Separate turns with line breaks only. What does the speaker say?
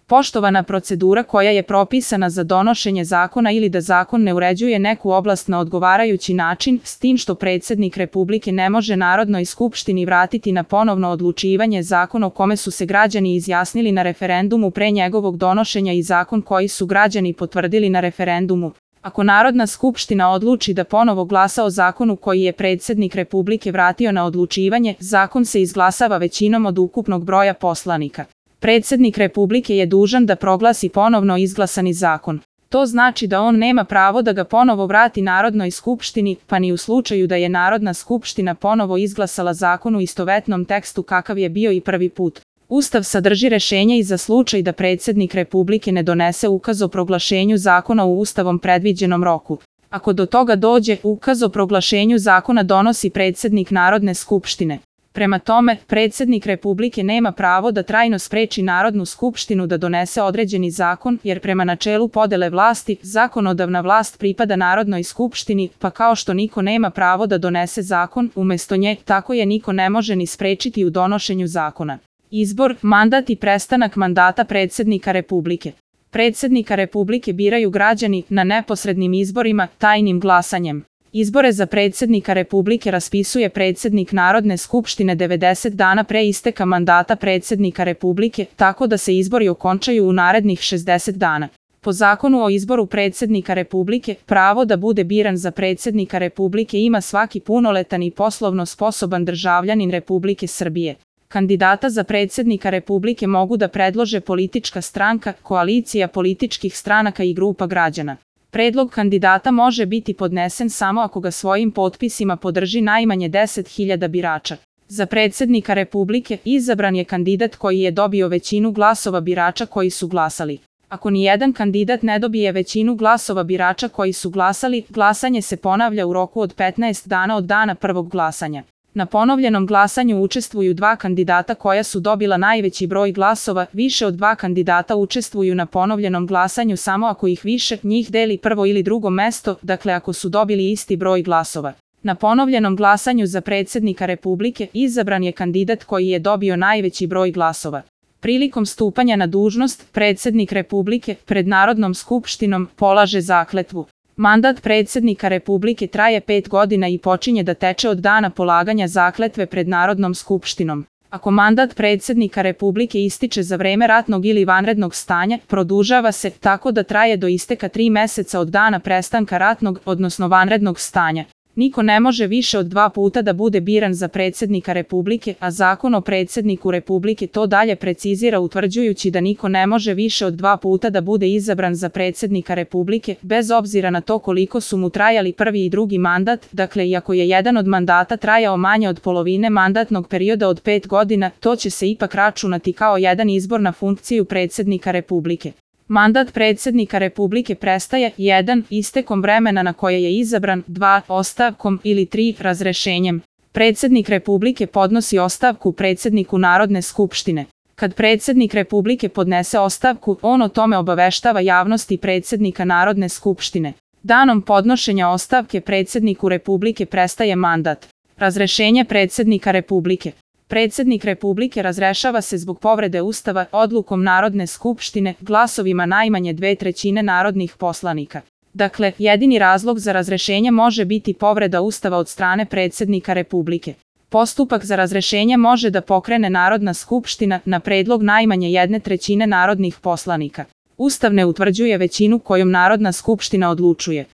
Poštovana procedura koja je propisana za donošenje zakona ili da zakon ne uređuje neku oblast na odgovarajući način, s tim što predsjednik Republike ne može Narodnoj skupštini vratiti na ponovno odlučivanje zakon o kome su se građani izjasnili na referendumu pre njegovog donošenja i zakon koji su građani potvrdili na referendumu. Ako Narodna skupština odluči da ponovo glasa o zakonu koji je predsjednik Republike vratio na odlučivanje, zakon se izglasava većinom od ukupnog broja poslanika. Predsjednik Republike je dužan da proglasi ponovno izglasani zakon. To znači da on nema pravo da ga ponovo vrati Narodnoj skupštini, pa ni u slučaju da je Narodna skupština ponovo izglasala zakon u istovetnom tekstu kakav je bio i prvi put. Ustav sadrži rešenje i za slučaj da predsjednik Republike ne donese ukaz o proglašenju zakona u Ustavom predviđenom roku. Ako do toga dođe, ukaz o proglašenju zakona donosi predsjednik Narodne skupštine. Prema tome, predsjednik Republike nema pravo da trajno spreči Narodnu skupštinu da donese određeni zakon, jer prema načelu podele vlasti, zakonodavna vlast pripada Narodnoj skupštini, pa kao što niko nema pravo da donese zakon umesto nje, tako je niko ne može ni sprečiti u donošenju zakona. Izbor, mandat i prestanak mandata predsjednika Republike. Predsjednika Republike biraju građani na neposrednim izborima, tajnim glasanjem. Izbore za predsjednika Republike raspisuje predsjednik Narodne skupštine 90 dana pre isteka mandata predsjednika Republike, tako da se izbori okončaju u narednih 60 dana. Po zakonu o izboru predsjednika Republike, pravo da bude biran za predsjednika Republike ima svaki punoletan i poslovno sposoban državljanin Republike Srbije. Kandidata za predsjednika Republike mogu da predlože politička stranka, koalicija političkih stranaka i grupa građana. Predlog kandidata može biti podnesen samo ako ga svojim potpisima podrži najmanje 10.000 birača. Za predsjednika Republike izabran je kandidat koji je dobio većinu glasova birača koji su glasali. Ako nijedan kandidat ne dobije većinu glasova birača koji su glasali, glasanje se ponavlja u roku od 15 dana od dana prvog glasanja. Na ponovljenom glasanju učestvuju dva kandidata koja su dobila najveći broj glasova, više od dva kandidata učestvuju na ponovljenom glasanju samo ako ih više njih deli prvo ili drugo mesto, dakle ako su dobili isti broj glasova. Na ponovljenom glasanju za predsjednika Republike izabran je kandidat koji je dobio najveći broj glasova. Prilikom stupanja na dužnost, predsjednik Republike pred Narodnom skupštinom polaže zakletvu. Mandat predsjednika Republike traje 5 godina i počinje da teče od dana polaganja zakletve pred Narodnom skupštinom. Ako mandat predsjednika Republike ističe za vreme ratnog ili vanrednog stanja, produžava se tako da traje do isteka 3 meseca od dana prestanka ratnog, odnosno vanrednog stanja. Niko ne može više od 2 puta da bude biran za predsjednika Republike, a zakon o predsjedniku Republike to dalje precizira utvrđujući da niko ne može više od 2 puta da bude izabran za predsjednika Republike, bez obzira na to koliko su mu trajali prvi i drugi mandat, dakle iako je jedan od mandata trajao manje od polovine mandatnog perioda od 5 godina, to će se ipak računati kao jedan izbor na funkciju predsjednika Republike. Mandat predsjednika Republike prestaje 1. istekom vremena na koje je izabran, 2. ostavkom ili 3. razrešenjem. Predsjednik Republike podnosi ostavku predsjedniku Narodne skupštine. Kad predsjednik Republike podnese ostavku, on o tome obaveštava javnost i predsjednika Narodne skupštine. Danom podnošenja ostavke predsjedniku Republike prestaje mandat. Razrešenje predsjednika Republike. Predsjednik Republike razrešava se zbog povrede Ustava odlukom Narodne skupštine glasovima najmanje 2/3 narodnih poslanika. Dakle, jedini razlog za razrešenje može biti povreda Ustava od strane predsjednika Republike. Postupak za razrešenje može da pokrene Narodna skupština na predlog najmanje 1/3 narodnih poslanika. Ustav ne utvrđuje većinu kojom Narodna skupština odlučuje.